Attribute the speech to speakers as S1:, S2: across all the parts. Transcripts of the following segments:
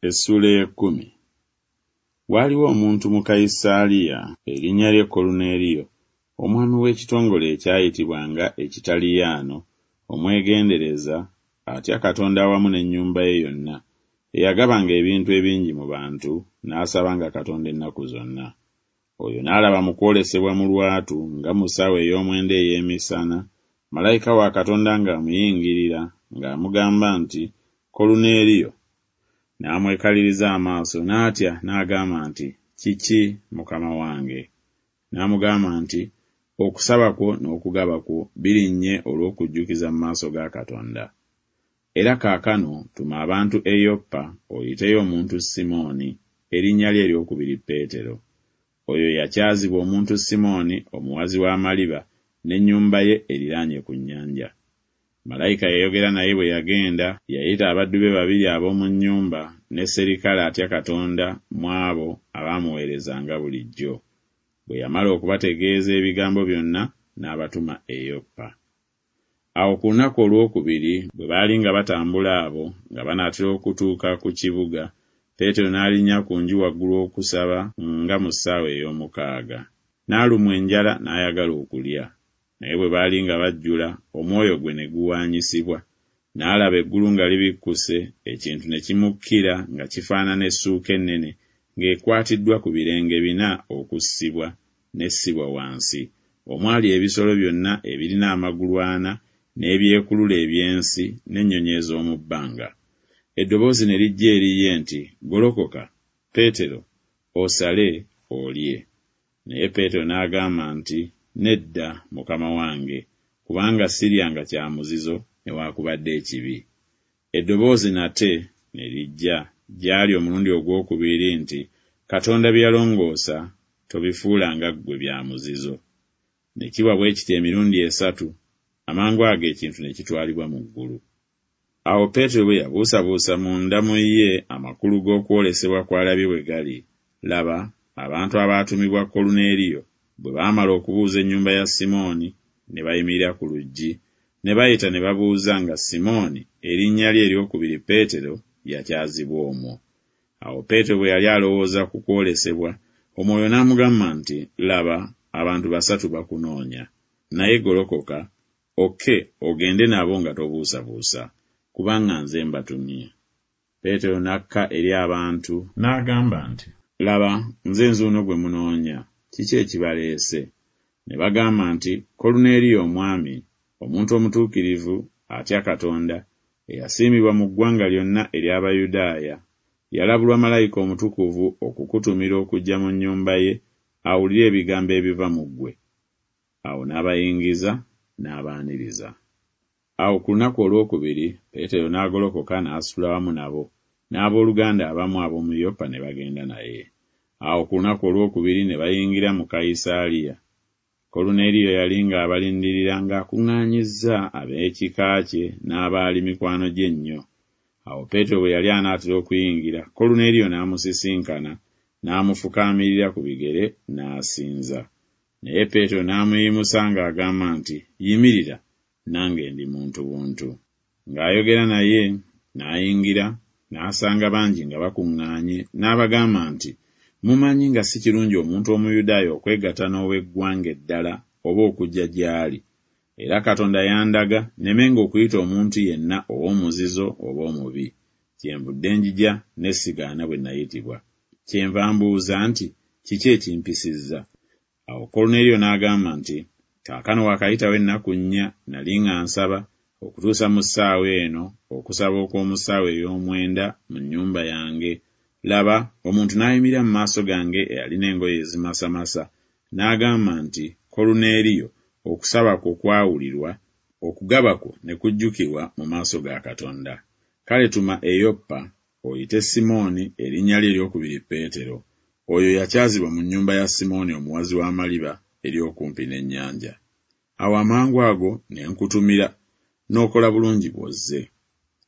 S1: Essuula ey'ekkumi. Waaliwo omuntu mu Kayisaaliya, erinnya lye Koluneeriyo, omwami w'ekitongole ekyayitibwanga Ekitaliyaano, omwegendereza, atya Katonda awamu n'ennyumba ye yonna, eyagabanga ebintu ebingi mu bantu, n'asabanga Katonda ennaku zonna. Oyo n'alaba mu kwolesebwa mu lwatu nga mu ssaawa ey'omwenda ey'emisana, malayika wa Katonda ng'amuyingirira, ng'amugamba nti, Koluneeriyo. N'amwekaliriza amaaso, n'atya, n'agamba nti, Kiki, Mukama wange? N'amugamba nti, Okusaba kwo n'okugaba kwo birinnye olw'okujjukiza mu maaso ga Katonda. Era kaakano tuma abantu e Yoppa, oyiteyo omuntu Simooni, erinnya lye ery'okubiri Peetero. Oyo yakyazibwa omuntu Simooni omuwazi w'amaliba, n'ennyumba ye eriraanye ku nnyanja. Malayika eyayogera naye bwe yagenda, yayita abaddu be babiri ab'omu nnyumba, ne sserikale atya Katonda mu abo abaamuweerezanga bulijjo. Bwe yamala okubategeeza ebigambo byonna, n'abatuma e Yoppa. Awo ku lunaku olw'okubiri bwe baali nga batambula abo, nga banaatera okutuuka ku kibuga, Peetero n'alinnya ku nju waggulu okusaba nga mu ssaawa ey'omukaaga. N'alumwa enjala n'ayagala okulya. Naye bwe baali nga bajjula, omwoyo gwe ne guwaanyisibwa, n'alaba eggulu nga libikkuse, ekintu ne kimukkira nga kifaanana essuuka ennene ng'ekwatiddwa ku birenge bina okussibwa, n'essibwa wansi, omwali ebisolo byonna ebirina amagulu ana n'ebyekulula eby'ensi n'ennyonyi ez'omu bbanga. Eddoboozi ne lijja eri ye nti Golokoka, Peetero, osale, olye. Naye Peetero n'agamba nti Nedda, Mukama wange, kubanga siryanga kya muzizo newakubadde ekibi. Eddoboozi nate ne lijja gy'ali omulundi ogw'okubiri nti Katonda bye yalongoosa tobifuulanga ggwe bya muzizo. Ne kiba bwe kityo emirundi esatu, amangu ago ekintu ne kitwalibwa mu ggulu. Awo Peetero bwe yabuusabuusa munda mu ye amakulu g'okwolesebwa kw'alabye bwe gali, laba, abantu abaatumibwa Koluneeriyo bwe baamala okubuuza ennyumba ya Simooni, ne bayimirira ku luggi, ne bayita ne babuuza nga Simooni, erinnya lye ery'okubiri Peetero, yakyazibwa omwo. Awo Peetero bwe yali alowooza ku kwolesebwa, Omwoyo n'amugamba nti, Laba, abantu basatu bakunoonya. Naye golokoka, okke ogende nabo nga tobuusabuusa, kubanga nze mbatumye. Peetero n'akka eri abantu, n'agamba nti, Laba, nze nzuuno gwe munoonya, kiki ekibaleese? Ne bagamba nti, Koluneeriyo omwami, omuntu omutuukirivu, atya Katonda, eyasiimibwa mu ggwanga lyonna ery'Abayudaaya, yalabulwa malayika omutukuvu okukutumira okujja mu nnyumba ye, awulire ebigambo ebiva mu ggwe. Awo n'abayingiza, n'abaaniriza. Awo ku lunaku olw'okubiri Peetero n'agolokoka n'asitula wamu nabo, n'ab'oluganda abamu ab'omu Yopa ne bagenda naye. Awo ku lunaku olw'okubiri ne bayingira mu Kayisaaliya. Koluneeriyo yali ng'abalindirira ng'akuŋŋaanyizza ab'ekika kye n'abaali mikwano gye ennyo. Awo Peetero bwe yali anaatera okuyingira, Koluneeriyo n'amusisinkana, n'amufukaamirira ku bigere n'asinza. Naye Peetero n'amuyimusa ng'agamba nti, Yimirira, nange ndi muntu buntu. Ng'ayogera naye, n'ayingira, n'asanga bangi nga bakuŋŋaanye, n'abagamba nti, Mumanyi nga si kirungi omuntu Omuyudaaya okwegatta n'ow'eggwanga eddala oba okujja gy'ali. Era Katonda yandaga nnemenga okuyita omuntu yenna ow'omuzizo oba omubi. Kyenvudde njija ne sigaana bwe nayitibwa. Kyenva mbuuza nti, Kiki ekimpisizza? Awo Koluneeriyo n'agamba nti, Kaakano waakayitawo ennaku nnya nali nga nsaba, okutuusa mu ssaawa eno, okusaba okw'omu ssaawa ey'omwenda mu nnyumba yange, laba, omuntu n'ayimirira mu maaso gange eyalina engoye ezimasamasa, n'agamba nti, Koluneeriyo, okusaba kwo kwawulirwa, okugaba kwo ne kujjukirwa mu maaso ga Katonda. Kale tuma e Yoppa, oyite Simooni, erinnya lye ery'okubiri Peetero. Oyo yakyazibwa mu nnyumba ya Simooni omuwazi w'amaliba eri okumpi n'ennyanja. Awo amangu ago ne nkutumira, n'okola bulungi bw'ozze.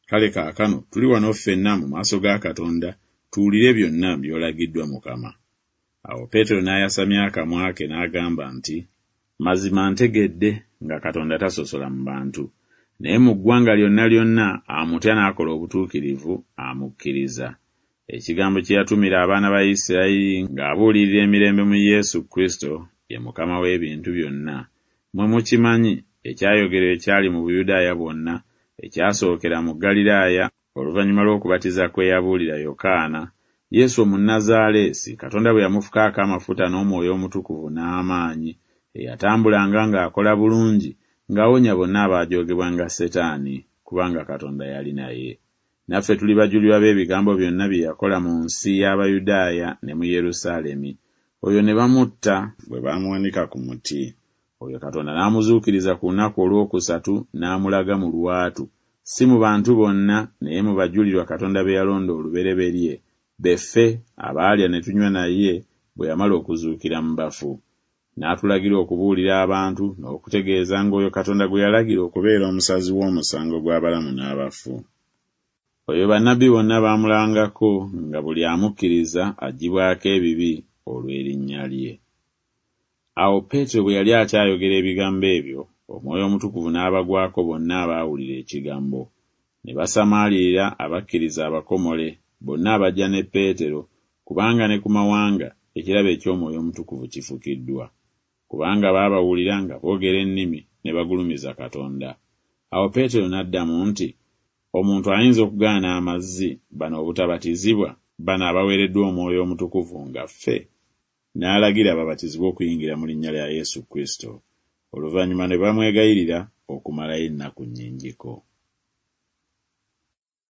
S1: Kale kaakano tuli wano ffenna mu maaso ga Katonda, tuwulire byonna by'olagiddwa Mukama. Awo Peetero n'ayasamya akamwa ke n'agamba nti, Mazima ntegedde nga Katonda tasosola mu bantu, naye mu ggwanga lyonna lyonna amutya n'akola obutuukirivu amukkiriza. Ekigambo kye yatumira abaana ba Isirayiri ng'abuulirira emirembe mu Yesu Kristo, ye Mukama w'ebintu byonna, mmwe mukimanyi, ekyayogerwa ekyali mu Buyudaaya bwonna, ekyasookera mu Ggaliraaya oluvannyuma lw'okubatiza kwe yabuulira Yokaana, Yesu Omunnazaaleesi, Katonda bwe yamufukaako amafuta n'Omwoyo Omutukuvu n'amaanyi, eyatambulanga ng'akola bulungi, ng'awonya bonna abaajoogebwanga Setaani, kubanga Katonda yali naye. Naffe tuli bajulirwa b'ebigambo byonna bye yakola mu nsi y'Abayudaaya ne mu Yerusaalemi, oyo ne bamutta bwe baamuwanika ku muti. Oyo Katonda n'amuzuukiriza ku lunaku olwokusatu n'amulaga mu lwatu, si mu bantu bonna, naye mu bajulirwa Katonda be yalonda olubereberye, be ffe abaalya ne tunywa naye bwe yamala okuzuukira mu bafu. N'atulagira okubuulira abantu n'okutegeeza ng'oyo Katonda gwe yalagira okubeera omusazi w'omusango gw'abalamu n'abafu. Oyo bannabbi bonna baamulangako nga buli amukkiriza aggyibwako ebibi olw'erinnya lye. Awo Peetero bwe yali akyayogera ebigambo ebyo, Omwoyo Omutukuvu n'abagwako bonna abaawulira ekigambo. Ne basamaalirira abakkiriza abakomole, bonna abajja ne Peetero, kubanga ne ku mawanga ekirabo eky'Omwoyo Omutukuvu kifukiddwa. Kubanga baabawulira nga boogera ennimi ne bagulumiza Katonda. Awo Peetero n'addamu nti, Omuntu ayinza okugaana amazzi bano obutabatizibwa, bano abaweereddwa Omwoyo Omutukuvu nga ffe? N'alagira babatizibwe okuyingira mu linnya lya Yesu Kristo. Oluvannyuma ne bamwegayirira okumalayo ennaku nnyingiko.